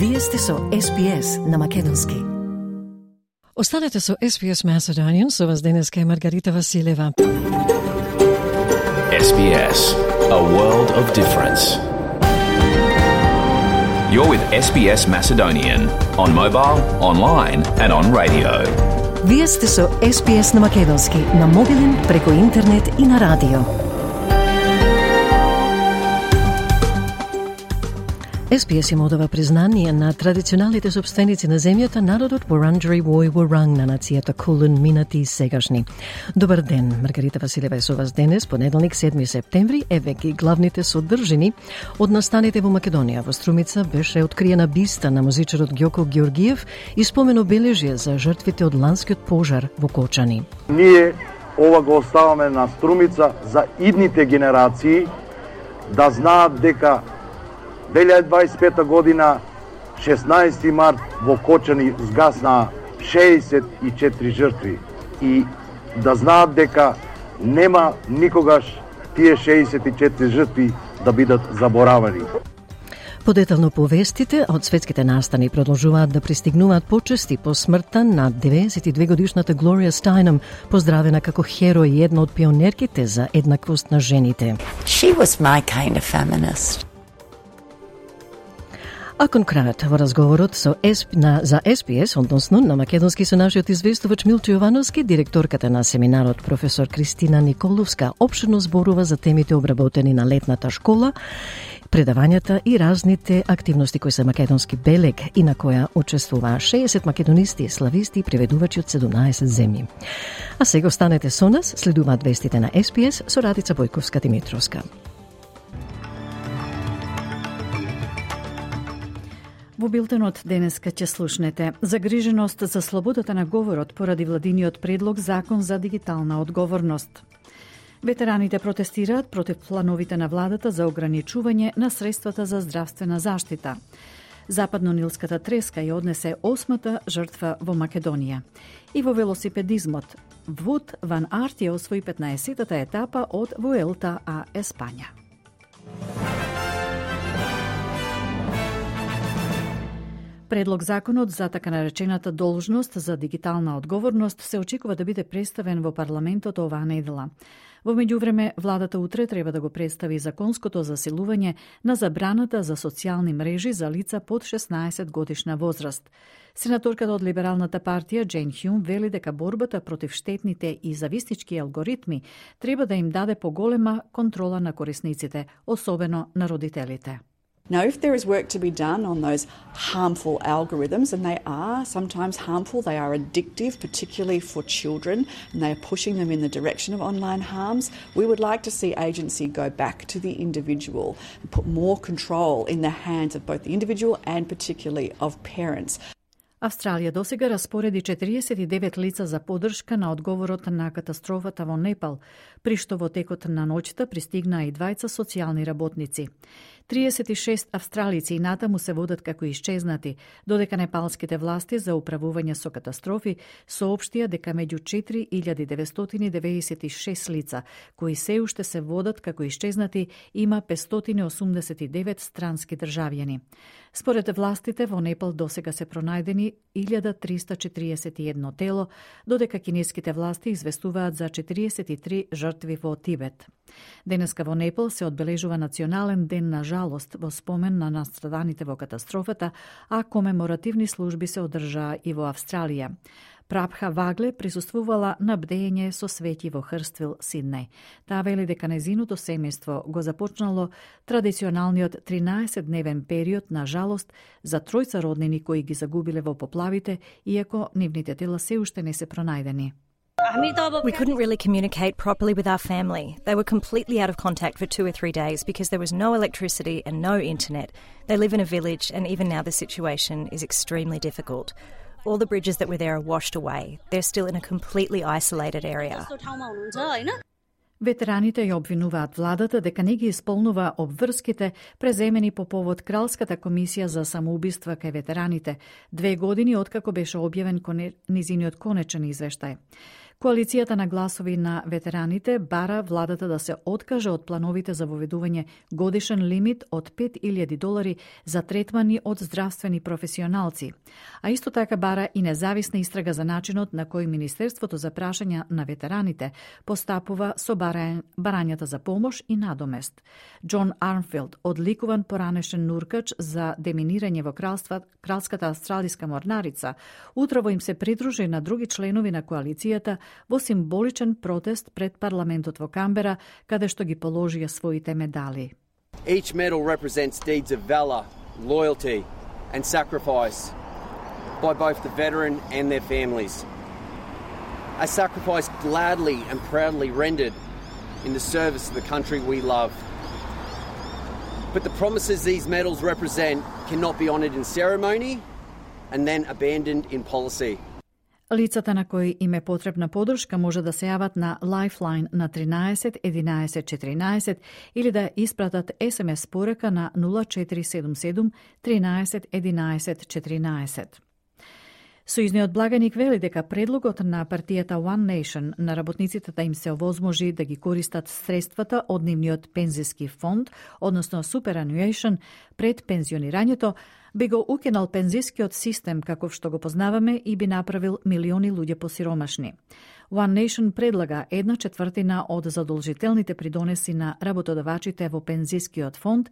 Вие сте со SPS на македонски. Останете со SPS Macedonian, со вас денеска е Маргарита Василева. SBS, a world of difference. You're with SBS Macedonian on mobile, online and on radio. Вие сте со SPS на македонски, на мобилен, преку интернет и на радио. SPS им одава признание на традиционалните собственици на земјата, народот Вурунджери Вой Вуранг на нацијата Кулин, минати и сегашни. Добар ден, Маргарита Василева е со вас денес, понеделник 7 септември, еве ги главните содржини од настаните во Македонија. Во Струмица беше откриена биста на музичарот Ѓоко Ѓоргиев и спомен обележје за жртвите од ланскиот пожар во Кочани. Ние ова го оставаме на Струмица за идните генерации да знаат дека 2025 година, 16 март, во Кочани згасна 64 жртви и да знаат дека нема никогаш тие 64 жртви да бидат заборавани. Подетално повестите од светските настани продолжуваат да пристигнуваат почести по смртта на 92 годишната Глорија Стајнем, поздравена како херој и една од пионерките за еднаквост на жените. She was my kind of feminist. А кон крајот во разговорот за SPS, односно на македонски со нашиот известувач Милчо Јовановски, директорката на семинарот професор Кристина Николовска опширно зборува за темите обработени на летната школа, предавањата и разните активности кои се македонски белег и на која учествуваа 60 македонисти, слависти и преведувачи од 17 земји. А сега останете со нас, следуваат вестите на SPS со Радица Бојковска-Димитровска. Во билтенот денеска ќе слушнете загриженост за слободата на говорот поради владиниот предлог закон за дигитална одговорност. Ветераните протестираат против плановите на владата за ограничување на средствата за здравствена заштита. Западно-нилската треска ја однесе 8-та жртва во Македонија. И во велосипедизмот Вуд Ван Арт ја освои 15-та етапа од Вуелта а Еспања. Предлог законот за така наречената должност за дигитална одговорност се очекува да биде представен во парламентот оваа недела. Во меѓувреме, владата утре треба да го представи законското засилување на забраната за социјални мрежи за лица под 16 годишна возраст. Сенаторката од Либералната партија Джейн Хјун вели дека борбата против штетните и зависнички алгоритми треба да им даде поголема контрола на корисниците, особено на родителите. Now, if there is work to be done on those harmful algorithms, and they are sometimes harmful, they are addictive, particularly for children, and they are pushing them in the direction of online harms, we would like to see agency go back to the individual and put more control in the hands of both the individual and particularly of parents. Австралија досега распореди 49 лица за поддршка на одговорот на катастрофата во Непал, при што во текот на ноќта пристигнаа и двајца социјални работници. 36 австралици и натаму се водат како исчезнати, додека непалските власти за управување со катастрофи соопштија дека меѓу 4996 лица, кои се уште се водат како исчезнати, има 589 странски државјани. Според властите во Непал досега се пронајдени 1341 тело, додека кинеските власти известуваат за 43 жртви во Тибет. Денеска во Непал се одбележува национален ден на жалост во спомен на настраданите во катастрофата, а комеморативни служби се одржаа и во Австралија. Прабха Вагле присуствувала на бдење со свети во Хрствил, Сиднеј. Таа вели дека нејзиното семејство го започнало традиционалниот 13-дневен период на жалост за тројца роднини кои ги загубиле во поплавите, иако нивните тела се уште не се пронајдени. We couldn't really communicate properly with our family. They were completely out of contact for 2 or 3 days because there was no electricity and no internet. They live in a village, and even now the situation is extremely difficult. All the bridges that were there are washed away. They're still in a completely isolated area. Ветераните ја обвинуваат владата дека не ги исполнува обврските преземени по повод Кралската комисија за самоубиства кај ветераните, 2 години откако беше објавен низиниот конечен извештај. Коалицијата на гласови на ветераните бара владата да се откаже од плановите за воведување годишен лимит од $5,000 за третмани од здравствени професионалци, а исто така бара и независна истрага за начинот на кој Министерството за прашања на ветераните постапува со барањата за помош и надомест. Џон Армфилд, одликуван поранешен нуркач за деминирање во Кралската австралиска морнарица, утрово им се придружи на други членови на коалицијата во символичен протест пред парламентот во Камбера, каде што ги положија своите медали. Each medal represents deeds of valor, loyalty and sacrifice by both the veteran and their families. A sacrifice gladly and proudly rendered in the service of the country we love. But the promises these medals represent cannot be honoured in ceremony and then abandoned in policy. Лицата на кои им е потребна подршка може да се јават на Lifeline на 13 11 14 или да испратат SMS порака на 0477 13 11 14. Сојузниот благаник вели дека предлогот на партијата One Nation на работниците да им се овозможи да ги користат средствата од нивниот пензиски фонд, односно superannuation, пред пензионирањето, би го укинал пензискиот систем каков што го познаваме и би направил милиони луѓе посиромашни. One Nation предлага 1/4 од задолжителните придонеси на работодавачите во пензискиот фонд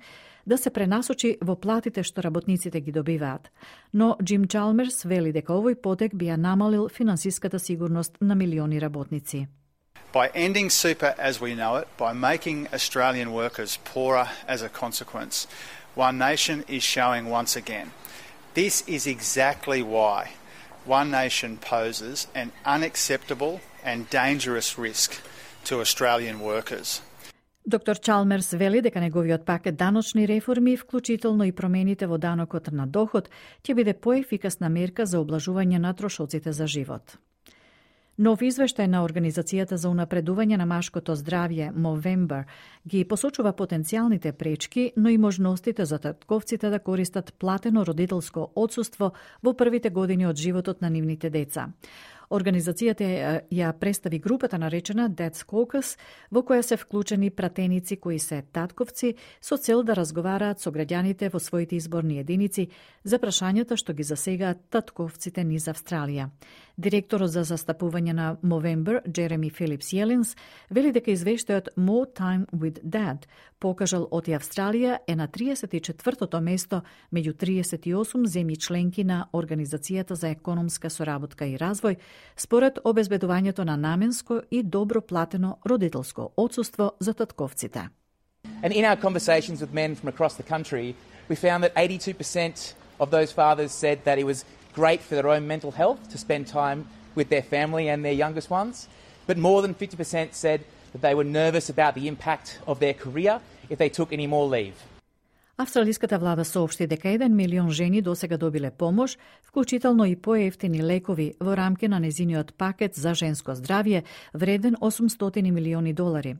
да се пренасочи во платите што работниците ги добиваат. Но Джим Чалмерс вели дека овој потек би ја намалил финансиската сигурност на милиони работници. By ending super as we know it, by making Australian workers poorer as a consequence, One Nation is showing once again. This is exactly why One Nation poses an unacceptable and dangerous risk to Australian workers. Доктор Чалмерс вели дека неговиот пакет даночни реформи, вклучително и промените во данокот на доход, ќе биде поефикасна мерка за облажување на трошоците за живот. Нов извештај на Организацијата за унапредување на машкото здравје Movember ги посочува потенцијалните пречки, но и можностите за татковците да користат платено родителско отсуство во првите години од животот на нивните деца. Организацијата ја представи групата наречена Dad's Caucus, во која се вклучени пратеници кои се татковци со цел да разговараат со граѓаните во своите изборни единици за прашањата што ги засегаат татковците низ Австралија. Директорот за застапување на Movember, Джереми Филипс Јелинс, вели дека извештајот More Time with Dad покажал оти Австралија е на 34-то место меѓу 38 земји членки на Организацијата за економска соработка и развој, според обезбедувањето на наменско и добро платено родителско отсуство за татковците. And in our conversations with men from across the country, we found that 82% of those fathers said that it was great for their own mental health to spend time with their family and their youngest ones, but more than 50% said that they were nervous about the impact of their career if they took any more leave. Австралиската влада соопшти дека 1 милион жени досега добиле помош, вклучително и поевтини лекови во рамки на незиниот пакет за женско здравје, вреден $800 милиони.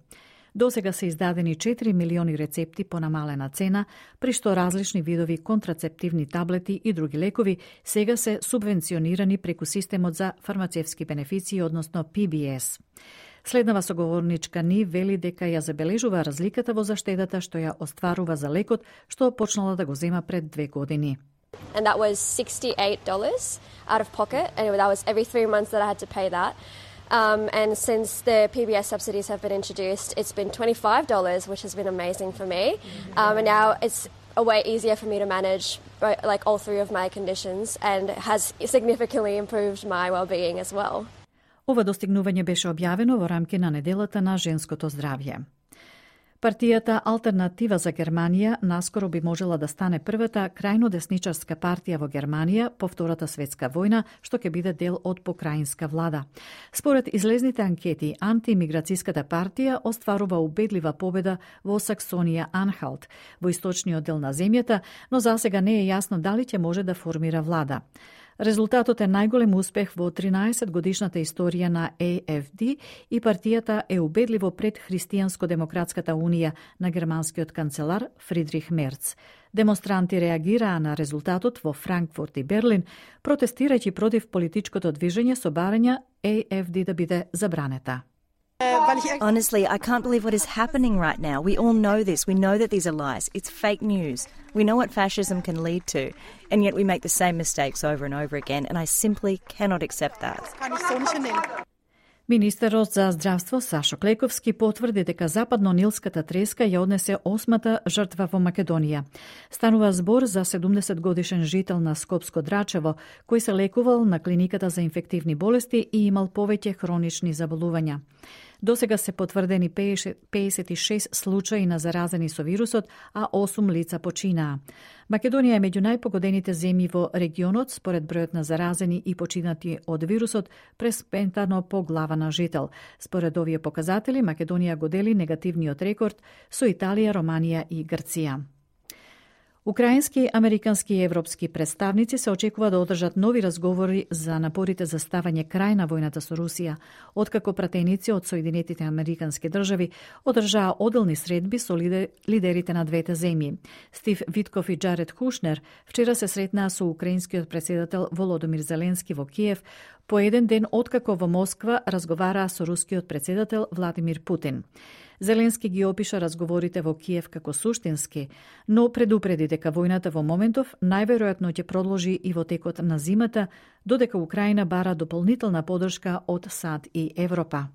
Досега се издадени 4 милиони рецепти по намалена цена, при што различни видови контрацептивни таблети и други лекови сега се субвенционирани преку системот за фармацевски бенефиции, односно PBS. Следнава соговорничка ни вели дека ја забележува разликата во заштедата што ја остварува за лекот, што почнала да го зема пред 2 години. And that was $68 out of pocket, and that was every 3 months that I had to pay that. And since the PBS subsidies have been introduced, it's been $25, which has been amazing for me. And now it's a way easier for me to manage like all 3 of my conditions, and has significantly improved my well-being as well. Ова достигнување беше објавено во рамки на неделата на женското здравје. Партијата Алтернатива за Германија наскоро би можела да стане првата крајно десничарска партија во Германија по Втората светска војна, што ќе биде дел од покрајинска влада. Според излезните анкети, антиимиграцијската партија остварува убедлива победа во Саксонија-Анхалт, во источниот дел на земјата, но засега не е јасно дали ќе може да формира влада. Резултатот е најголем успех во 13-годишната историја на AFD и партијата е убедливо пред Христијанско-демократската унија на германскиот канцелар Фридрих Мерц. Демонстранти реагираа на резултатот во Франкфурт и Берлин, протестирајќи против политичкото движење со барања AFD да биде забранета. Honestly, I can't believe what is happening right now. We all know this. We know that these are lies. It's fake news. We know what fascism can lead to, and yet we make the same mistakes over and over again, and I simply cannot accept that. Министерот за здравство Сашо Клековски потврди дека западно-нилската треска ја однесе 8-та жртва во Македонија. Станува збор за 70-годишен жител на Скопско Драчево, кој се лекувал на клиниката за инфективни болести и имал повеќе хронични заболувања. Досега се потврдени 56 случаи на заразени со вирусот, а 8 лица починаа. Македонија е меѓу најпогодените земји во регионот според бројот на заразени и починати од вирусот преспентано по глава на жител. Според овие показатели, Македонија го дели негативниот рекорд со Италија, Романија и Грција. Украински, американски и европски представници се очекува да одржат нови разговори за напорите за ставање крај на војната со Русија, откако пратеници од Соединетите американски држави одржаа оделни средби со лидерите на двете земји. Стив Витков и Джаред Кушнер вчера се сретнаа со украинскиот претседател Володомир Зеленски во Киев, по еден ден откако во Москва разговараа со рускиот претседател Владимир Путин. Зеленски ги опиша разговорите во Киев како суштински, но предупреди дека војната во моментов најверојатно ќе продолжи и во текот на зимата, додека Украина бара дополнителна поддршка од САД и Европа.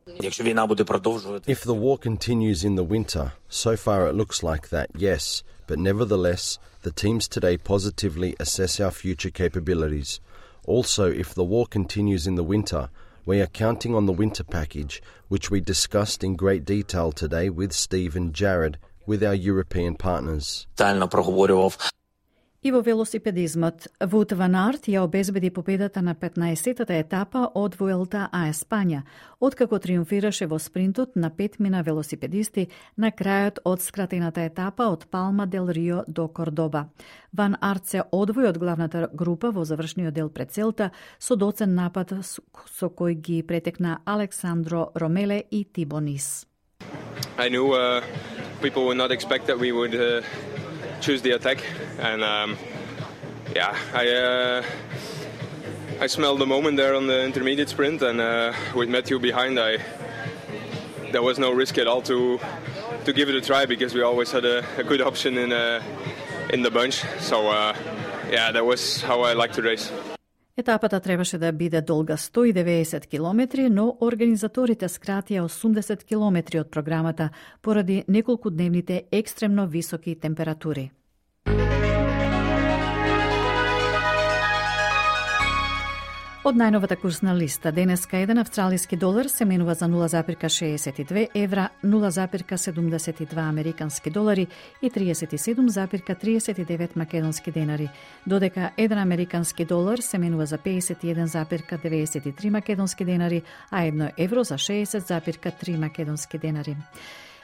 If the war continues in the winter, so far it looks like that, yes, but nevertheless, the teams today positively assess our future capabilities. Also, if the war continues in the winter, we are counting on the winter package, which we discussed in great detail today with Steve and Jared, with our European partners. И во велосипедизмот, Вуд Ван Арт ја обезбеди победата на 15-тата етапа од Вуелта а Еспања, откако триумфираше во спринтот на 5 велосипедисти на крајот од скратената етапа од Палма дел Рио до Кордоба. Ван Арт се одвои од главната група во завршниот дел пред целта со доцен напад со кој ги претекна Александро Ромеле и Тибо Нис. I knew people would not expect that we would choose the attack, and I smelled the moment there on the intermediate sprint, and with Matthew behind, there was no risk at all to give it a try, because we always had a good option in the bunch. So that was how I liked to race. Етапата требаше да биде долга 190 километри, но организаторите скратија 80 километри од програмата поради неколкудневните екстремно високи температури. Од најновата курсна листа, денеска еден австралиски долар се менува за 0,62 евра, 0,72 американски долари и 37,39 македонски денари, додека еден американски долар се менува за 51,93 македонски денари, а 1 евро за 60,3 македонски денари.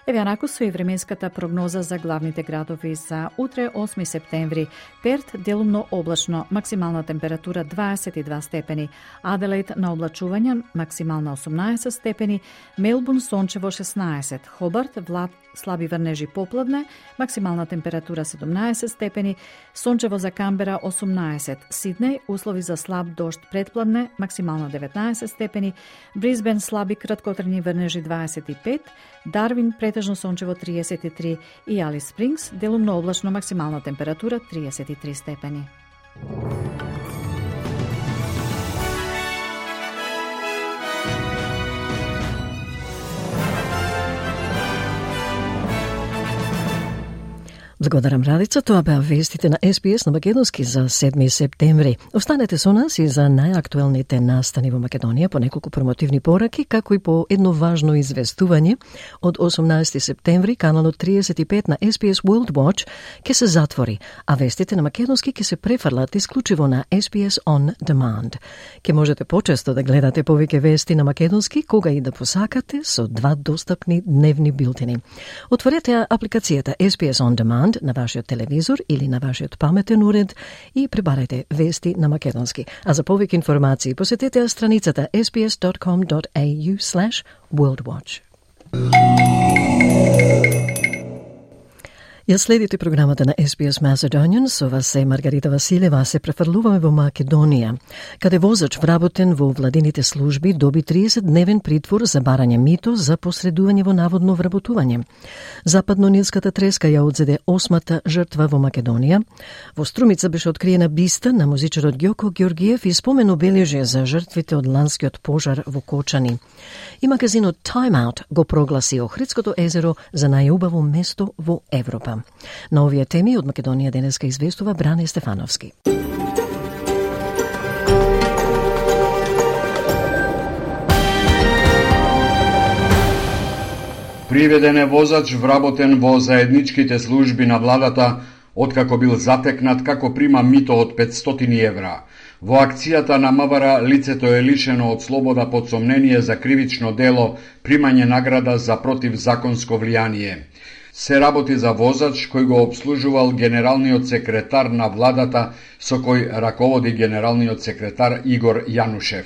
Еве анаку со и временската прогноза за главните градови за утре 8 септември. Перт делумно облачно, максимална температура 22 степени. Аделаид на облачување, максимална 18 степени. Мелбурн сончево 16. Хобарт слаби врнежи попладне, максимална температура 17 степени. Сончево за Камбера 18. Сиднеј услови за слаб дожд предпладне, максимална 19 степени. Брисбен слаби краткотрajни врнежи 25. Дарвин претежно сончево 33 и Алис Спрингс делумно облачно, максимална температура 33 степени. Благодарам, Радица. Тоа беа вестите на СПС на македонски за 7 септември. Останете со нас и за најактуелните настани во Македонија, по неколку промотивни пораки, како и по едно важно известување. Од 18 септември каналот 35 на SPS World Watch ќе се затвори, а вестите на македонски ќе се префрлат исклучиво на SPS On Demand. Ќе можете почесто да гледате повеќе вести на македонски, кога и да посакате, со 2 достапни дневни билтини. Отворете апликацијата SPS On Demand викенд на вашиот телевизор или на вашиот паметен уред и пребарајте вести на македонски. А за повеќе информации посетете страницата sbs.com.au/worldwatch. Ја следите програмата на SBS Macedonian, со вас е Маргарита Василева. Се префрлуваме во Македонија, каде возач вработен во владините служби доби 30-дневен притвор за барање мито за посредување во наводно вработување. Западно-нилската треска ја одзеде 8-та жртва во Македонија. Во Струмица беше откриена биста на музичарот Ѓоко Ѓоргиев и спомен обележје за жртвите од ланскиот пожар во Кочани. И магазинот Time Out го прогласи Охридското езеро за најубаво место во Европа. На овие теми од Македонија денеска известува Бране Стефановски. Приведен е воzač вработен во заедничките служби на владата откако бил затекнат како прима мито од 500 евра. Во акцијата на МВР лицето е лишено од слобода под сомнение за кривично дело примање награда за противзаконско влијание. Се работи за возач кој го обслужувал генералниот секретар на владата со кој раководи генералниот секретар Игор Јанушев.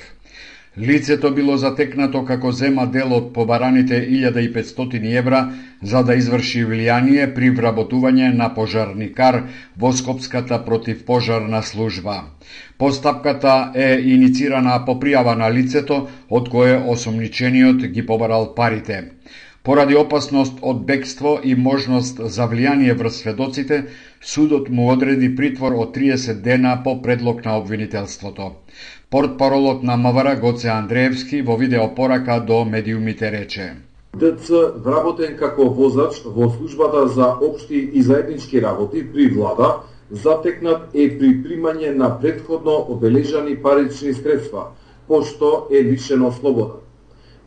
Лицето било затекнато како зема дел од побараните 1500 евра за да изврши влијание при вработување на пожарникар во Скопската противпожарна служба. Постапката е иницирана по пријава на лицето од кое осомничениот ги побарал парите. Поради опасност од бегство и можност за влијание врз сведоците, судот му одреди притвор од 30 дена по предлог на обвинителството. Портпаролот на МВР Гоце Андреевски во видеопорака до медиумите рече: ДЦ вработен како возач во службата за општи и заеднички работи при влада, затекнат е при примање на претходно обележани парични средства, пошто е лишено слобода.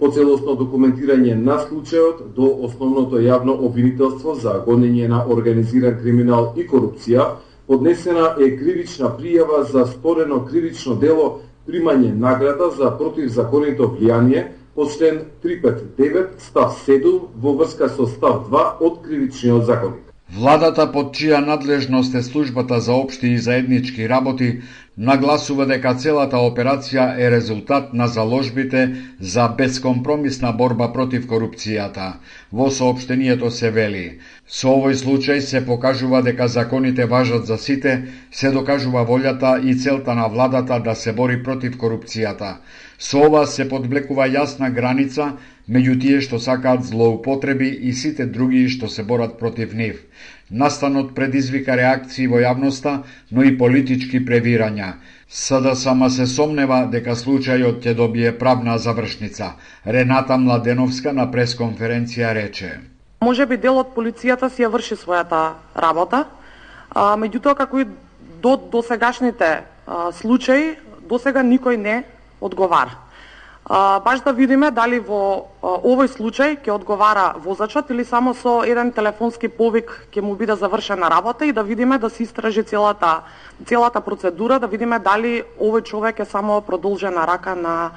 По целосно документирање на случајот до основното јавно обвинителство за гонење на организиран криминал и корупција, поднесена е кривична пријава за сторено кривично дело примање награда за противзаконито влијание по член 359 став 7 во врска со став 2 од кривичниот законник. Владата, под чија надлежност е службата за општи и заеднички работи, нагласува дека целата операција е резултат на заложбите за безкомпромисна борба против корупцијата. Во соопштението се вели: со овој случај се покажува дека законите важат за сите, се докажува волјата и целта на владата да се бори против корупцијата. Со ова се подблекува јасна граница меѓу тие што сакаат злоупотреби и сите други што се борат против нив. Настанот предизвика реакции во јавноста, но и политички превирања. СДСМ се сомнева дека случајот ќе добие правна завршница. Рената Младеновска на пресконференција рече: Може би дел од полицијата си ја врши својата работа, меѓутоа како и до досегашните случаи, досега никој не одговара. Баш да видиме дали во овој случај ќе одговара возачот или само со еден телефонски повик ќе му биде завршена работа и да видиме да се истражи целата процедура, да видиме дали овој човек е само продолжена рака на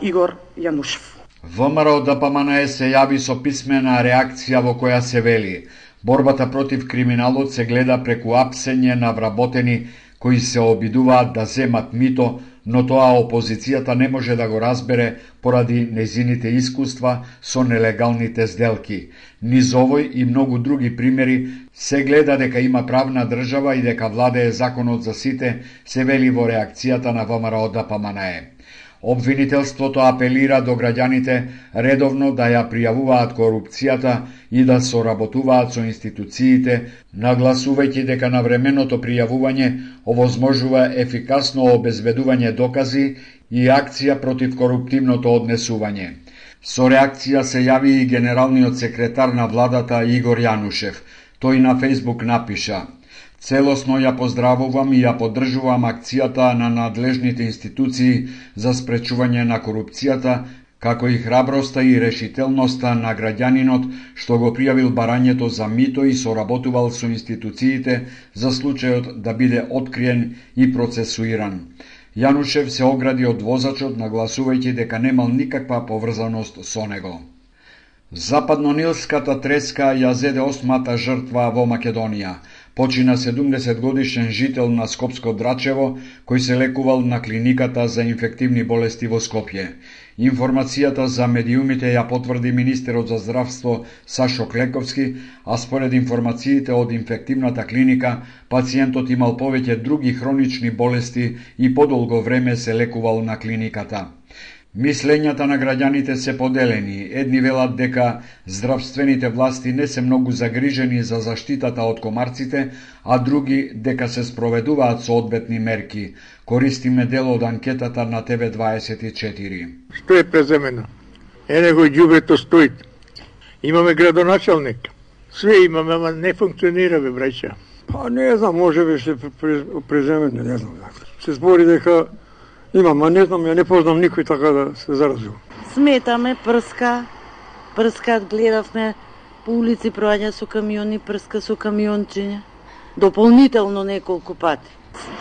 Игор Јанушев. ВМРО ДПМН се јави со писмена реакција во која се вели: борбата против криминалот се гледа преку апсење на вработени кои се обидуваат да земат мито, но тоа опозицијата не може да го разбере поради незините искуства со нелегалните сделки. Низ овој и многу други примери се гледа дека има правна држава и дека владее законот за сите, се вели во реакцијата на ВМРО ДПМН. Обвинителството апелира до граѓаните редовно да ја пријавуваат корупцијата и да соработуваат со институциите, нагласувајќи дека навременото пријавување овозможува ефикасно обезбедување докази и акција против коруптивното однесување. Со реакција се јави и генералниот секретар на владата Игор Јанушев. Тој на Фејсбук напиша: целосно ја поздравувам и ја поддржувам акцијата на надлежните институции за спречување на корупцијата, како и храброста и решителноста на граѓанинот што го пријавил барањето за мито и соработувал со институциите за случајот да биде откриен и процесуиран. Јанушев се огради од возачот, нагласувајќи дека немал никаква поврзаност со него. Западнонилската треска ја зеде 8-та жртва во Македонија. Почина 70-годишен жител на Скопско Драчево, кој се лекувал на клиниката за инфективни болести во Скопје. Информацијата за медиумите ја потврди министерот за здравство Сашо Клековски, а според информациите од инфективната клиника, пациентот имал повеќе други хронични болести и подолго време се лекувал на клиниката. Мислењата на граѓаните се поделени. Едни велат дека здравствените власти не се многу загрижени за заштитата од комарците, а други дека се спроведуваат соодветни мерки. Користиме дел од анкетата на ТВ24. Што е преземено? Него ѓубрето стои. Имаме градоначалник. Све имаме, ама не функционира, бе, браќа. Па не знам, може би се преземено, не знам. Се збори дека имам, а не знам, ја не познам никој така да се заразил. Сметаме, прскаат, гледавме по улици проаѓа со камиони, прска со камиончиња. Дополнително неколку пати.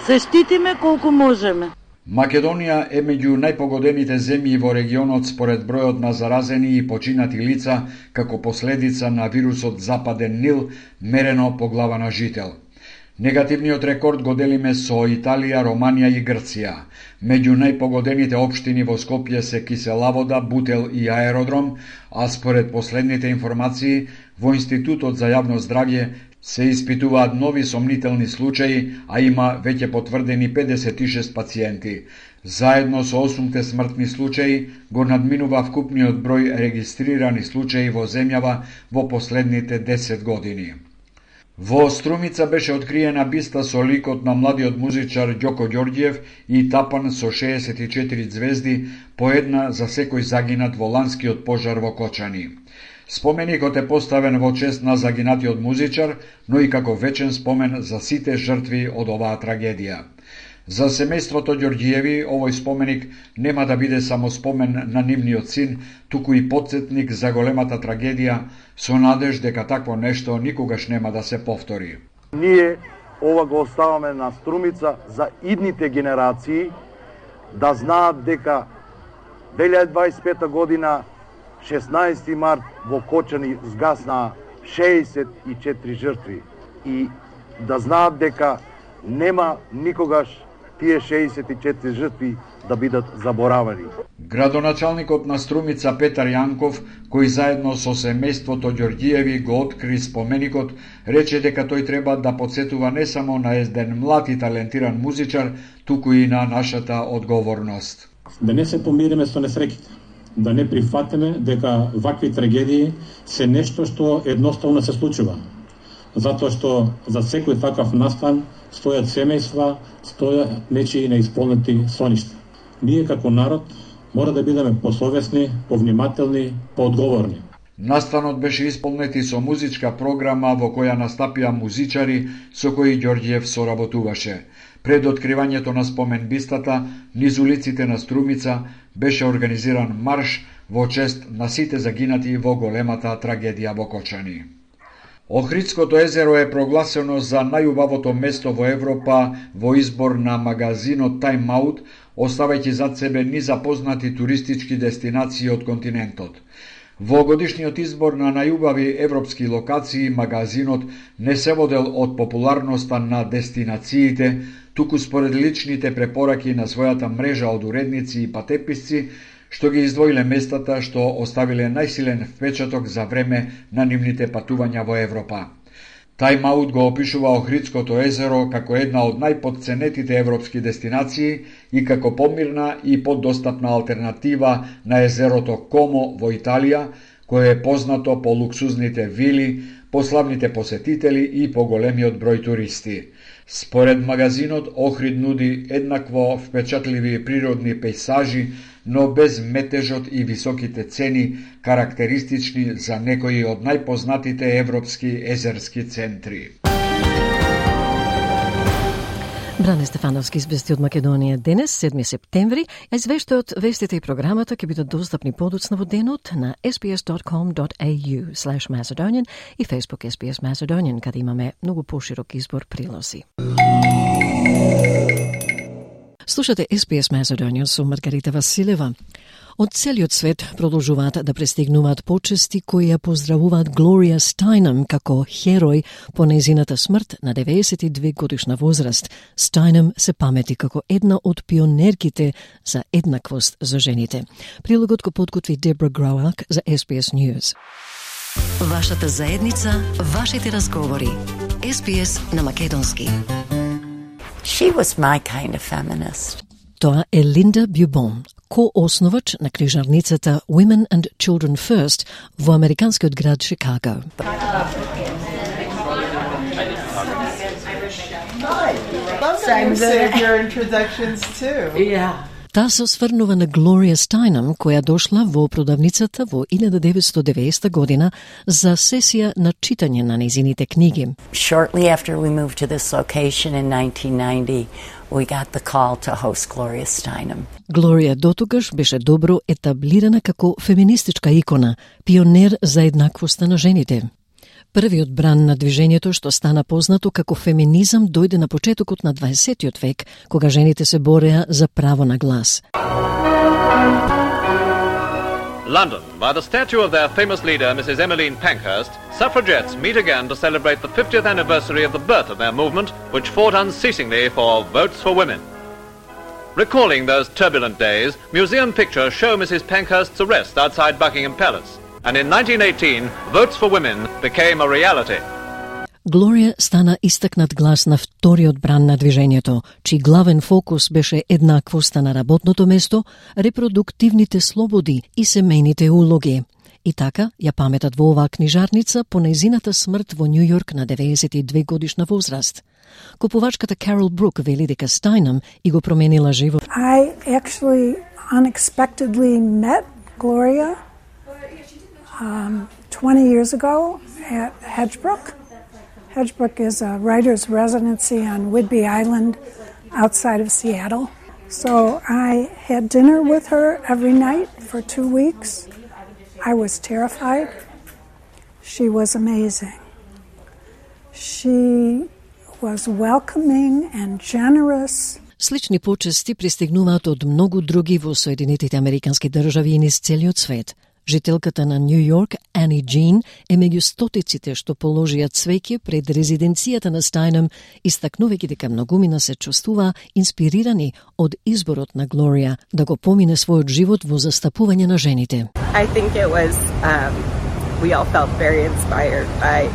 Се штитиме колку можеме. Македонија е меѓу најпогодените земји во регионот според бројот на заразени и починати лица како последица на вирусот Западен Нил, мерено по глава на жител. Негативниот рекорд го делиме со Италија, Романија и Грција. Меѓу најпогодените општини во Скопје се Киселавода, Бутел и Аеродром, а според последните информации во Институтот за јавно здравје се испитуваат нови сомнителни случаи, а има веќе потврдени 56 пациенти. Заедно со 8 смртни случаи го надминува вкупниот број регистрирани случаи во земјава во последните 10 години. Во Струмица беше откриена биста со ликот на младиот музичар Ѓоко Ѓорѓиев и тапан со 64 звезди, по една за секој загинат во ланскиот пожар во Кочани. Споменикот е поставен во чест на загинатиот музичар, но и како вечен спомен за сите жртви од оваа трагедија. За семејството Ѓорѓиеви овој споменик нема да биде само спомен на нивниот син, туку и потсетник за големата трагедија, со надеж дека такво нешто никогаш нема да се повтори. Ние ова го оставаме на Струмица за идните генерации да знаат дека 2025 година 16 март во Кочани згасна 64 жртви и да знаат дека нема никогаш тие 64 жртви да бидат заборавани. Градоначалникот на Струмица Петар Јанков, кој заедно со семејството Ѓорѓиеви го откри споменикот, рече дека тој треба да подсетува не само на еден млад и талентиран музичар, туку и на нашата одговорност. Да не се помириме со несреќите, да не прифатиме дека вакви трагедии се нешто што едноставно се случува. Затоа што за секој такав настан стојат семејства, стојат нечии неисполнети соништа. Ние како народ мора да бидеме посовесни, повнимателни, поодговорни. Настанот беше исполнет и со музичка програма во која настапија музичари со кои Ѓорѓиев соработуваше. Пред откривањето на споменбистата, низ улиците на Струмица беше организиран марш во чест на сите загинати во големата трагедија во Кочани. Охридското езеро е прогласено за најубавото место во Европа во избор на магазинот Time Out, оставајќи зад себе низапознати туристички дестинации од континентот. Во годишниот избор на најубави европски локации, магазинот не се водел од популарноста на дестинациите, туку според личните препораки на својата мрежа од уредници и патеписци, што ги издвоиле местата што оставиле најсилен впечаток за време на нивните патувања во Европа. Time Out го опишува Охридското езеро како една од најподценетите европски дестинации и како помирна и подостапна алтернатива на езерото Комо во Италија, кое е познато по луксузните вили, по славните посетители и по големиот број туристи. Според магазинот, Охрид нуди еднакво впечатливи природни пейсажи, но без метежот и високите цени, карактеристични за некои од најпознатите европски езерски центри. Бране Стефановски извести од Македонија денес, 7 септември, а извештајот, вестите и програмата ќе бидат достапни подоцна во денот на sbs.com.au/Macedonian и Facebook SBS Macedonian, каде имаме многу поширок избор прилози. Слушате SBS Macedonian со Маргарита Василева. Од целиот свет продолжуваат да пристигнуваат почести кои ја поздравуваат Глорија Стајнам како херој по нејзината смрт на 92 годишна возраст. Стајнам се памети како една од пионерките за еднаквост за жените. Прилогот го подготви Дебра Грауак за SBS News. Вашата заедница, вашите разговори. SBS на македонски. She was my kind of feminist. Тоа е Линда Бюбон, ко-основач на книжарницата Women and Children First во американскиот град Чикаго. Same day of your introductions too. Yeah. Таа се осврнува на Глорија Стајнам, која дошла во продавницата во 1990 година за сесија на читање на нејзините книги. Shortly after we moved to this location in 1990, we got the call to host Gloria Steinem. Глорија дотогаш беше добро етаблирана како феминистичка икона, пионер за еднаквоста на жените. Првиот бран на движењето што стана познато како феминизам дојде на почетокот на 20 век, кога жените се бореа за право на глас. London, by the statue of their famous leader, Mrs. Emmeline Pankhurst, suffragettes meet again to celebrate the 50th anniversary of the birth of their movement, which fought unceasingly for votes for women. Recalling those turbulent days, museum pictures show Mrs. Pankhurst's arrest outside Buckingham Palace. And in 1918, votes for women became a reality. Глорија стана истакнат глас на вториот бран на движењето, чиј главен фокус беше еднаквоста на работното место, репродуктивните слободи и семејните улоги. И така ја паметат во оваа книжарница по нејзината смрт во Нью Йорк на 92 годишна возраст. Купувачката Карол Брук вели дека Стајнам и го променила живот. I actually unexpectedly met Gloria 20 years ago at Hedgebrook. Hedgebrook is a writer's residency on Whidbey Island outside of Seattle. So I had dinner with her every night for 2 weeks. I was terrified. She was amazing. She was welcoming and generous. Слични почести пристигнуваат од многу други во Соединетите Американски држави и низ целиот свет. Жителката на Нью Йорк, Ани Джин, е меѓу стотиците што положија цвеќе пред резиденцијата на Стајнам, истакнувајќи дека многумина се чувствува инспирирани од изборот на Глорија да го помине својот живот во застапување на жените. I think it was, we all felt very inspired by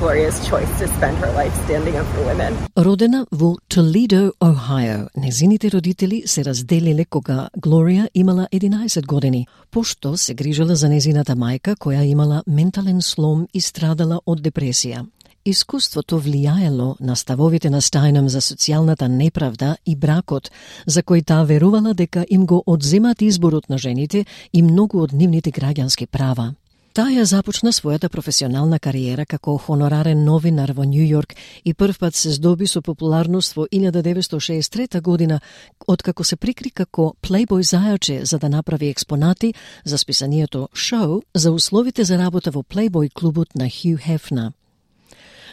Gloria's choice to spend her life standing up for women. Родена во Toledo, Ohio, незините родители се разделиле кога Глорија имала 11 години, пошто се грижела за незината мајка која имала ментален слом и страдала од депресија. Искуството влијаело на ставовите на Стајнам за социјалната неправда и бракот, за кој таа верувала дека им го одземат изборот на жените и многу од нивните граѓански права. Таа ја започна својата професионална кариера како хонорарен новинар во Нью Йорк и првпат се здоби со популарност во 1963 година, откако се прикри како плейбој зајаче за да направи експонати за списанието Шоу за условите за работа во плейбој клубот на Хју Хефна.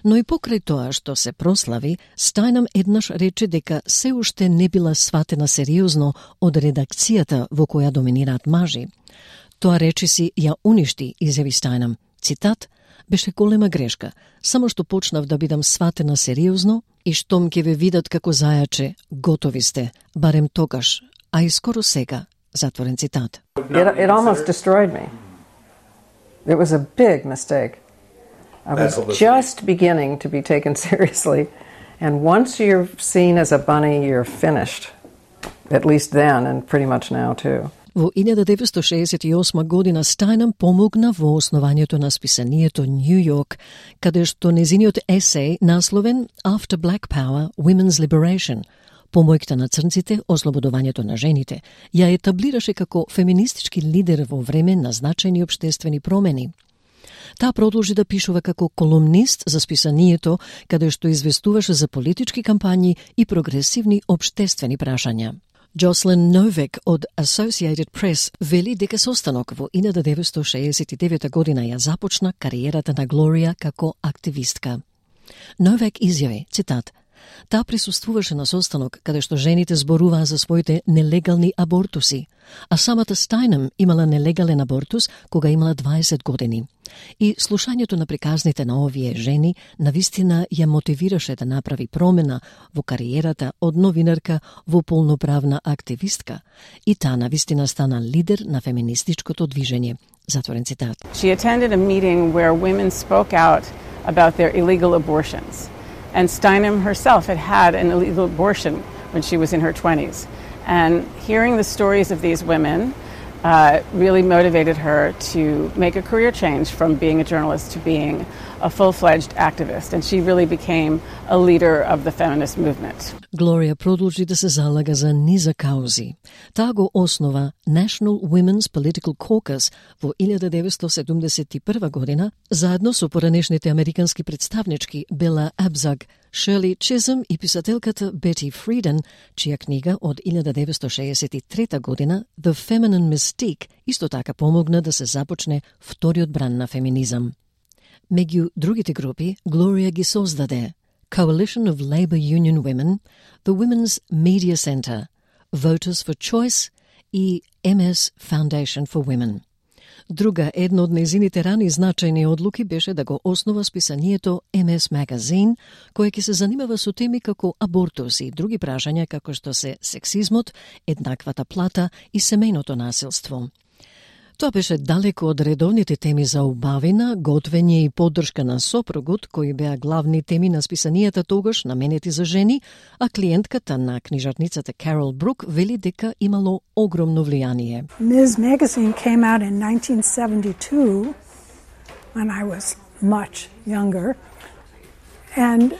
Но и покрај тоа што се прослави, Стајнам еднаш рече дека се уште не била сватена сериозно од редакцијата во која доминираат мажи. Тоа речиси ја уништи, изјави Стајнам. Цитат, беше голема грешка, само што почнав да бидам сватена сериозно и штом ќе ве видат како зајаче, готови сте, барем тогаш, а и скоро сега, затворен цитат. It almost destroyed me. It was a big mistake. I was just beginning to be taken seriously, and once you're seen as a bunny, you're finished. At least then, and pretty much now too. Во 1968 година Стајнам помогна во основањето на списанието Нью Йорк, каде што незиниот есеј, насловен After Black Power, Women's Liberation, помојката на црнците, ослободувањето на жените, ја етаблираше како феминистички лидер во време на значајни општествени промени. Таа продолжи да пишува како колумнист за списанието, каде што известуваше за политички кампањи и прогресивни општествени прашања. Jocelyn Novak од Associated Press вели дека состанок во 1969 година ја започна кариерата на Глорија како активистка. Novak изјави, цитат, Таа присуствуваше на состанок каде што жените зборуваа за своите нелегални абортуси, а самата Стајнем имала нелегален абортус кога имала 20 години. И слушањето на приказните на овие жени навистина ја мотивираше да направи промена во кариерата од новинарка во полноправна активистка, и таа навистина стана лидер на феминистичкото движење. Затворен цитат. She attended a meeting where women spoke out about their illegal abortions. And Steinem herself had an illegal abortion when she was in her 20s. And hearing the stories of these women really motivated her to make a career change from being a journalist to being a full-fledged activist. And she really became a leader of the feminist movement. Глорија продолжи да се залага за низа каузи. Таа го основа National Women's Political Caucus во 1971 година, заедно со поранешните американски представнички Бела Абзаг, Шерли Чизъм и писателката Бети Фриден, чија книга од 1963 година The Feminine Mystique исто така помогна да се започне вториот бран на феминизам. Меѓу другите групи, Глорија ги создаде Coalition of Labor Union Women, the Women's Media Center, Voters for Choice и MS Foundation for Women. Друга една од нејзините рани значајни одлуки беше да го основа списанието MS Magazine, кое ќе се занимава со теми како абортус и други прашања како што се сексизмот, еднаквата плата и семејното насилство. Тоа беше далеко од редовните теми за убавина, готвење и поддршка на сопругот, кои беа главни теми на списанијата тогаш наменети за жени, а клиентката на книжарницата Карол Брук вели дека имало огромно влијание. Ms. Magazine came out in 1972 when I was much younger, and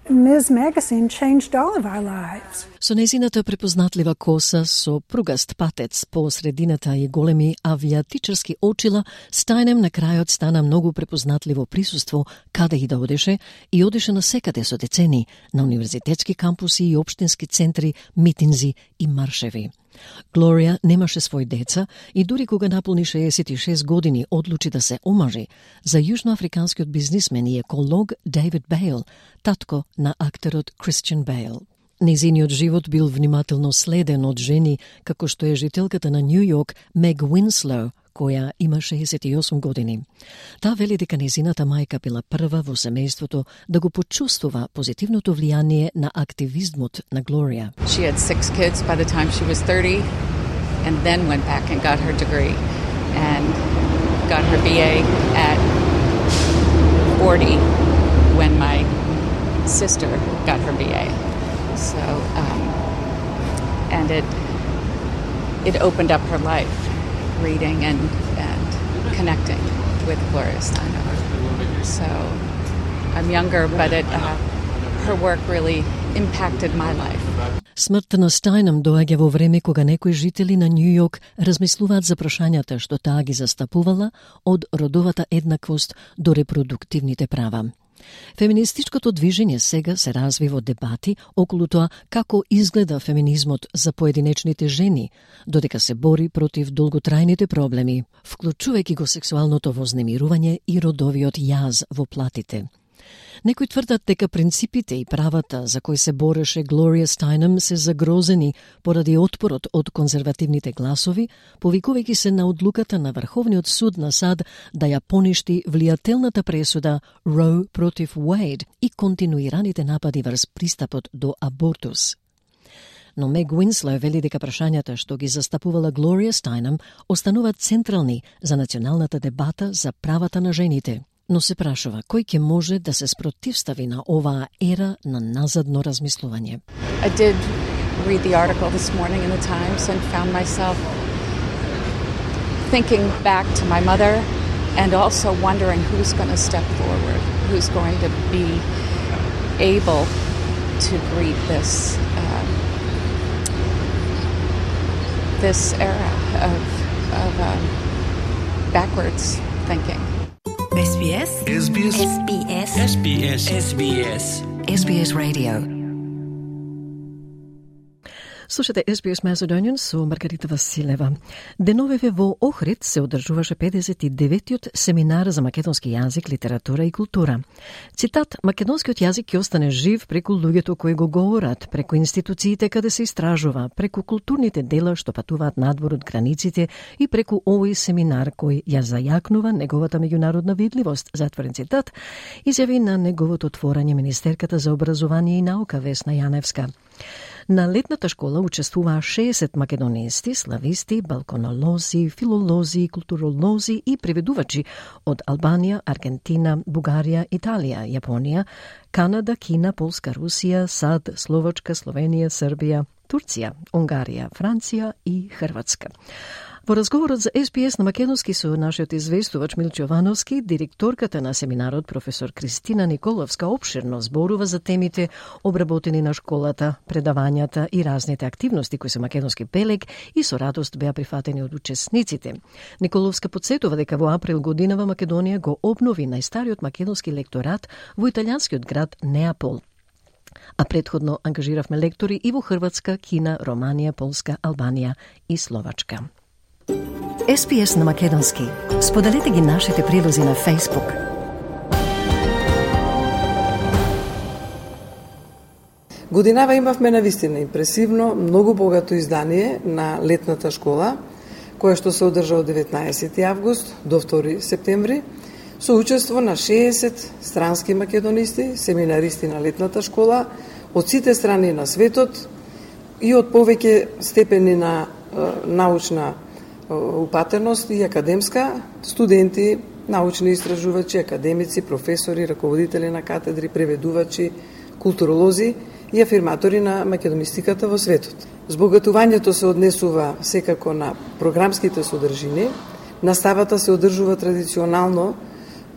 Ms. Magazine changed all of our lives. Со нејзината препознатлива коса, со пругаст патец по средината и големи авиатичарски очила, Стајнем на крајот стана многу препознатливо присуство каде и да одеше, и одеше на секаде со децени, на универзитетски кампуси и општински центри, митинзи и маршеви. Глорија немаше свој деца и дури кога наполни 66 години одлучи да се омажи за јужноафриканскиот бизнисмен и еколог Дейвид Бейл, татко на актерот Кристијан Бейл. Нејзиниот живот бил внимателно следен од жени како што е жителката на Нью Йорк Мег Уинслоу, која има 68 години. Таа вели дека нејзината мајка била прва во семејството да го почувствува позитивното влијание на активизмот на Глорија. She had 6 kids by the time she was 30 and then went back and got her degree and got her BA at 40 when my sister got her BA. So and it opened up her life, reading and connecting with Gloria Steinem. So I'm younger, but her work really impacted my life. Смртта на Стајнем доаѓа во време кога некои жители на Нью Йорк размислуваат за прашањата што таа ги застапувала, од родовата еднаквост до репродуктивните права. Феминистичкото движење сега се разви во дебати околу тоа како изгледа феминизмот за поединечните жени, додека се бори против долготрајните проблеми, вклучувајќи го сексуалното вознемирување и родовиот јаз во платите. Некои тврдат дека принципите и правата за кои се бореше Глорија Стајнем се загрозени поради отпорот од конзервативните гласови, повикувајќи се на одлуката на Врховниот суд на САД да ја поништи влијателната пресуда Роу против Уейд и континуираните напади врз пристапот до абортус. Но Мег Уинслоу вели дека прашањата што ги застапувала Глорија Стајнем остануваат централни за националната дебата за правата на жените. Но се прашува кој ќе може да се спротивстави на оваа ера на назадно размислување. I did read the article this morning in the Times and found myself thinking back to my mother and also wondering who's going to step forward, who's going to be able to greet this era of backwards thinking. SBS SBS SBS SBS SBS SBS Radio. Слушате SBS Macedonian со Маргарита Василева. Деновеве во Охрид се одржуваше 59-тиот семинар за македонски јазик, литература и култура. Цитат: македонскиот јазик ќе остане жив преку луѓето кои го говорат, преку институциите каде се истражува, преку културните дела што патуваат надвор од границите и преку овој семинар кој ја зајакнува неговата меѓународна видливост, затворен цитат, изјави на неговото отворање министерката за образование и наука Весна Јаневска. На летната школа учествуваа 60 македонисти, слависти, балконолози, филолози, културолози и преведувачи од Албанија, Аргентина, Бугарија, Италија, Јапонија, Канада, Кина, Полска, Русија, САД, Словачка, Словенија, Србија, Турција, Унгарија, Франција и Хрватска. Во разговорот за SBS на македонски со нашиот известувач Милчо Јовановски, директорката на семинарот професор Кристина Николовска опширно зборува за темите обработени на школата, предавањата и разните активности кои се македонски белег и со радост беа прифатени од учесниците. Николовска подсетува дека во април годинава Македонија го обнови најстариот македонски лекторат во италијанскиот град Неапол. А предходно ангажиравме лектори и во Хрватска, Кина, Романија, Полска, Албанија и Словачка. SBS на македонски. Споделете ги нашите прилози на Facebook. Годинава имавме навистина импресивно, многу богато издание на летната школа, кое што се одржа од 19 август до 2 септември, со учество на 60 странски македонисти, семинаристи на летната школа, од сите страни на светот и од повеќе степени на научна упатеност и академска, студенти, научни истражувачи, академици, професори, раководители на катедри, преведувачи, културолози и афирматори на македонистиката во светот. Збогатувањето се однесува секако на програмските содржини. Наставата се одржува традиционално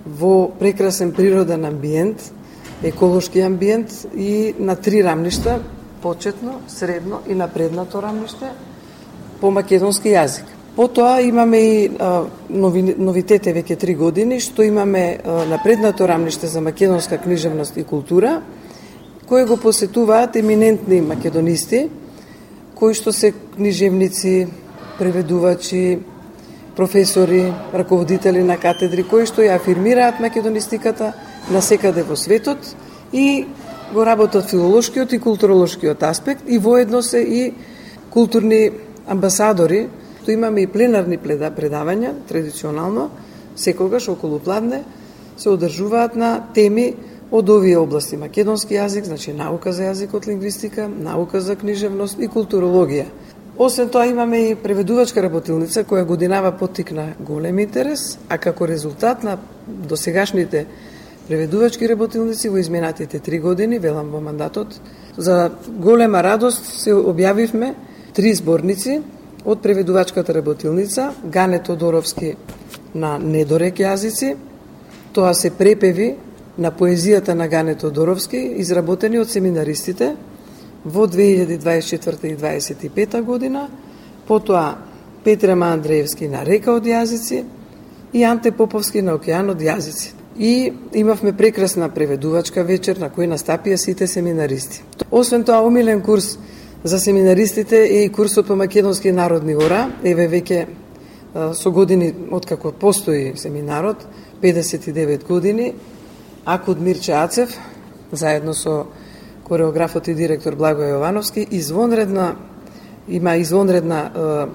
во прекрасен природен амбиент, еколошки амбиент и на 3 рамништа, почетно, средно и напреднато рамниште по македонски јазик. Потоа имаме и новитете веќе 3 години, што имаме напреднато рамниште за македонска книжевност и култура, кои го посетуваат еминентни македонисти, кои што се книжевници, преведувачи, професори, раководители на катедри, кои што ја афирмираат македонистиката насекаде во светот и го работат филолошкиот и културолошкиот аспект и воедно се и културни амбасадори. Што имаме и пленарни предавања, традиционално, секогаш околу пладне, се одржуваат на теми од овие области: македонски јазик, значи наука за јазикот, лингвистика, наука за книжевност и културологија. Освен тоа имаме и преведувачка работилница која годинава поттикна голем интерес, а како резултат на досегашните преведувачки работилници во изминатите 3 години, велам во мандатот, за голема радост се објавивме 3 зборници од преведувачката работилница Гане Тодоровски на недорек јазици. Тоа се препеви на поезијата на Гане Тодоровски, изработени од семинаристите во 2024 и 2025 година, потоа Петрема Андреевски на Река од јазици и Анте Поповски на Океан од јазици. И имавме прекрасна преведувачка вечер на кој настапија сите семинаристи. Освен тоа, омилен курс за семинаристите е и курсот по македонски народни ора. Еве веќе со години откако постои семинарот, 59 години, Акуд Мирче Ацев, заедно со кореографот и директор Благој Јовановски, има извонредна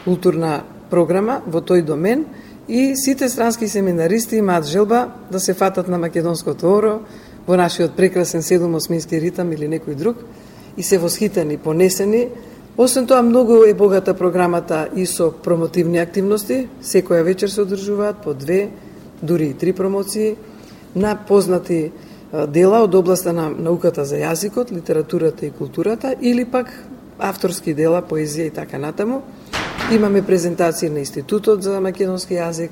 културна програма во тој домен и сите странски семинаристи имаат желба да се фатат на македонското оро во нашиот прекрасен 7-осмински ритам или некој друг и се восхитени, понесени. Освен тоа, многу е богата програмата и со промотивни активности. Секоја вечер се одржуваат по 2, дури и 3 промоции на познати дела од областа на науката за јазикот, литературата и културата, или пак авторски дела, поезија и така натаму. Имаме презентација на Институтот за македонски јазик,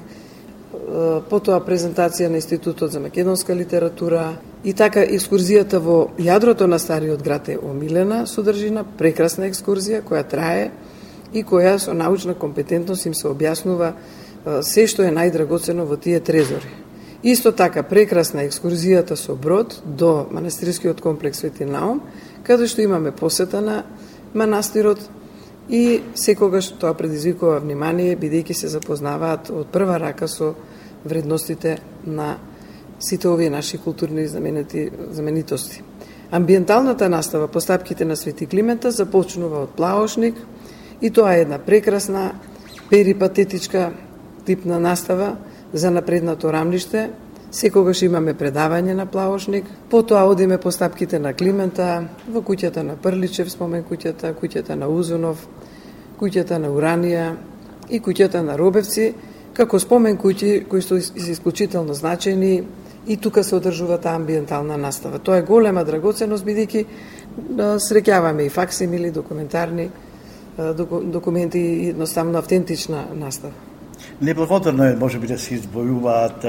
потоа презентација на Институтот за македонска литература и така екскурзијата во јадрото на стариот град е омилена содржина, прекрасна екскурзија која трае и која со научна компетентност им се објаснува се што е најдрагоцено во тие трезори. Исто така прекрасна екскурзијата со брод до манастирскиот комплекс Свети Наум, каде што имаме посета на манастирот и секогаш тоа предизвикува внимание, бидејќи се запознаваат од прва рака со вредностите на сите овие наши културни знаменитости. Амбиенталната настава по стапките на Свети Климента започнува од Плаошник и тоа е една прекрасна перипатетичка типна настава за напреднато рамниште. Секогаш имаме предавање на Плаошник, потоа одиме по стапките на Климента, во куќата на Прличев, спомен куќата на Узунов, куќата на Уранија и куќата на Робевци, како спомен куќи кои се исклучително значајни и тука се одржува таа амбиентална настава. Тоа е голема драгоценност, бидејќи среќаваме и факсимили, документарни документи и едноставно автентична настава. Неблагодарно е, може би, да се избојуваат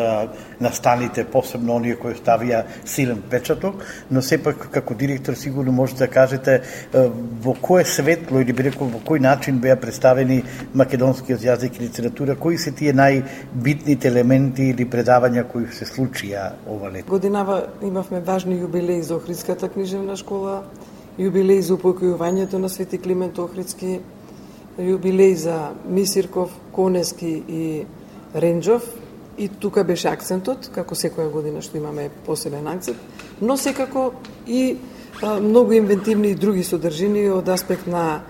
настаните, посебно оние кои ставија силен печаток, но сепак како директор сигурно може да кажете во кое светло или би рекол во кој начин беа представени македонскиот јазик и литература, кои се тие најбитните елементи или предавања кои се случија ова лето? Годинава имавме важни јубилеи за Охридската книжевна школа, јубилеи за упокојувањето на Свети Климент Охридски, јубилеј за Мисирков, Конески и Ренџов, и тука беше акцентот, како секоја година што имаме посебен акцент, но секако и многу инвентивни и други содржини од аспект на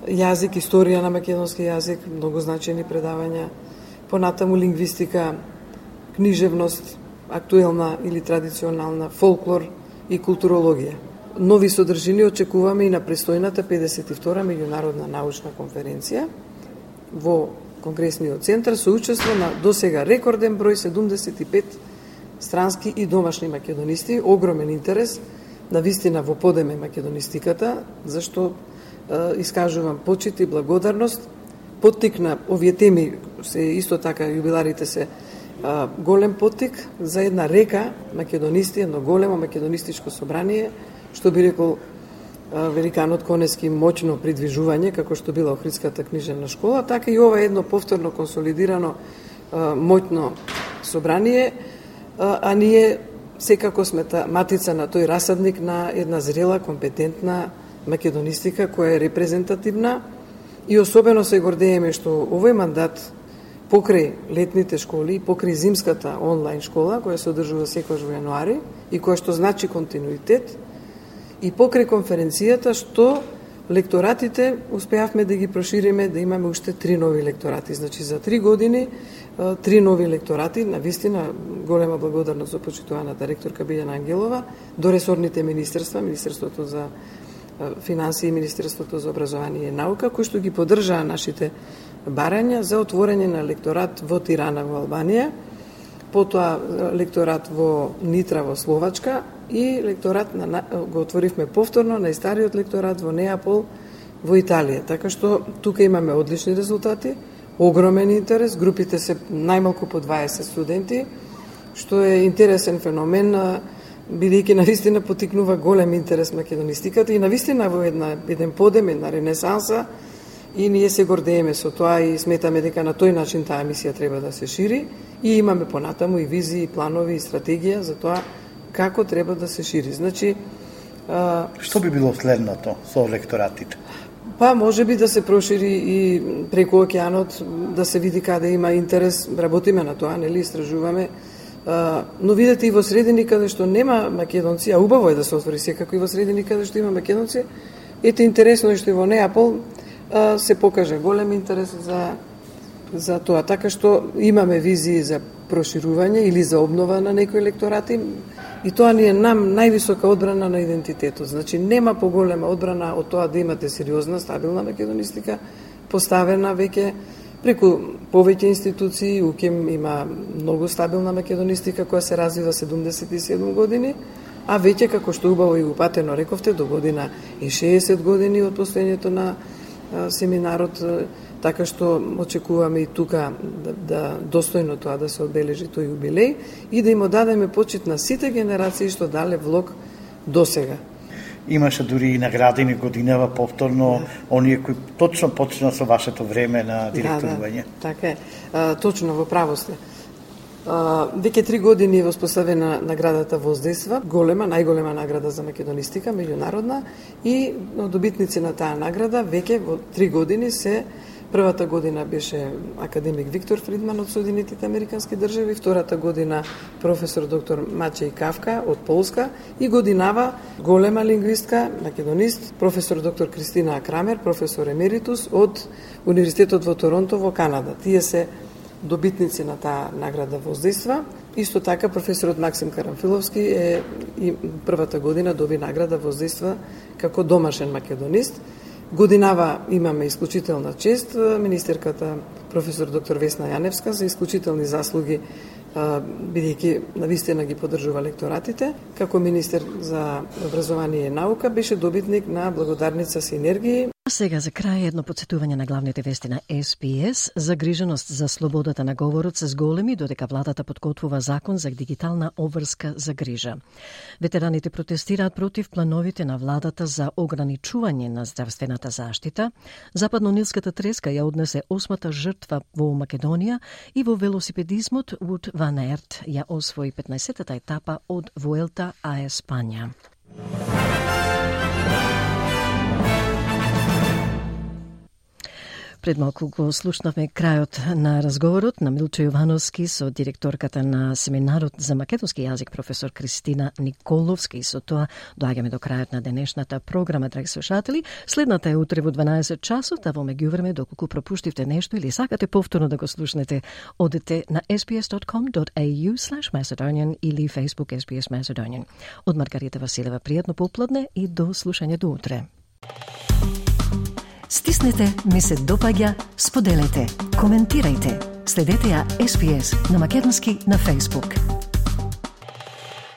јазик, историја на македонски јазик, многу значајни предавања, понатаму лингвистика, книжевност, актуелна или традиционална, фолклор и културологија. Нови содржини очекуваме и на престојната 52-та меѓународна научна конференција во Конгресниот центар со учество на досега рекорден број 75 странски и домашни македонисти. Огромен интерес, навистина во подеме македонистиката, зашто искажувам почит и благодарност. Поттикна овие теми, се исто така јубиларите се голем поттик за една река македонисти, едно големо македонистичко собрание, што би рекол великанот Конески, моќно придвижување, како што била Охридската книжевна школа, така и ова едно повторно консолидирано моќно собрание, а ние секако сме матица на тој расадник на една зрела, компетентна македонистика која е репрезентативна, и особено се гордееме што овој мандат покрај летните школи, покрај зимската онлайн школа, која се одржува секојаш во јануари и која што значи континуитет, и покрај конференцијата што лекторатите успеавме да ги прошириме, да имаме уште 3 нови лекторати. Значи за 3 години 3 нови лекторати, навистина голема благодарност за почитуваната ректорка Билјана Ангелова, до ресорните министерства, Министерството за финансии и Министерството за образование и наука, кои што ги поддржаа нашите барања за отворање на лекторат во Тирана во Албанија, потоа лекторат во Нитра во Словачка и лекторат го отворивме повторно најстариот лекторат во Неапол во Италија. Така што тука имаме одлични резултати, огромен интерес, групите се најмалку по 20 студенти, што е интересен феномен, бидејќи навистина потикнува голем интерес македонистиката и навистина во еден подем, една ренесанса, и ние се гордееме со тоа и сметаме дека на тој начин таа емисија треба да се шири и имаме понатаму и визии, планови и стратегија за тоа како треба да се шири. Значи, што би било следното со лекторатите? Па може би да се прошири и преку океанот, да се види каде има интерес, работиме на тоа, нели, истражуваме. Но видете и во средини каде што нема македонци, а убаво е да се отвори секако и во средини каде што има македонци. Ете интересно е што и во Неапол се покаже голем интерес за тоа. Така што имаме визии за проширување или за обнова на некои лекторати и тоа ни е нам највисока одбрана на идентитетот. Значи нема поголема одбрана од тоа да имате сериозна, стабилна македонистика, поставена веќе преку повеќе институции. УКЕМ има многу стабилна македонистика која се развива 77 години, а веќе, како што убаво и упатено рековте, до година и 60 години од постоењето на семинарот, така што очекуваме и тука да достојно тоа да се одбележи тој јубилеј и да им одадеме почит на сите генерации што дале влог досега. Имаше дури и наградени годинава повторно оние кои точно почна со вашето време на директорување. Да, така е. Точно во право сте. Веќе 3 години е воспоставена наградата Воздейства, голема, најголема награда за македонистика, меѓународна, и добитници на таа награда веќе во 3 години се. Првата година беше академик Виктор Фридман од Соединетите Американски држави, втората година професор доктор Мачеј Кавка од Полска и годинава голема лингвистка, македонист, професор доктор Кристина Крамер, професор емеритус од Универзитетот во Торонто во Канада. Тие се добитници на таа награда Воздейства. Исто така професорот Максим Карамфиловски и првата година доби награда Воздейства како домашен македонист. Годинава имаме исклучителна чест министерката професор доктор Весна Јаневска за исклучителни заслуги, бидејќи навистина ги поддржува лекторатите. Како министер за образование и наука беше добитник на благодарница Синергии. Сега за крај едно подсетување на главните вести на SPS. Загриженост за слободата на говорот се зголеми додека владата подготвува закон за дигитална обврска за грижа. Ветераните протестираат против плановите на владата за ограничување на здравствената заштита. Западно-нилската треска ја однесе 8-та жртва во Македонија и во велосипедизмот Wout van Aert ја освои 15-та етапа од Vuelta a España. Пред малку го слушнавме крајот на разговорот на Милчо Јовановски со директорката на семинарот за македонски јазик професор Кристина Николовска, и со тоа доаѓаме до крајот на денешната програма, драги слушатели. Следната е утре во 12 часот, а во меѓувреме доколку пропуштивте нешто или сакате повторно да го слушнете, одете на sbs.com.au/Macedonian или Facebook SBS Macedonian. Од Маргарита Василева пријатно попладне и до слушање до утре. Стиснете, ми се допаѓа, споделете, коментирајте. Следете ја SPS на македонски на Facebook.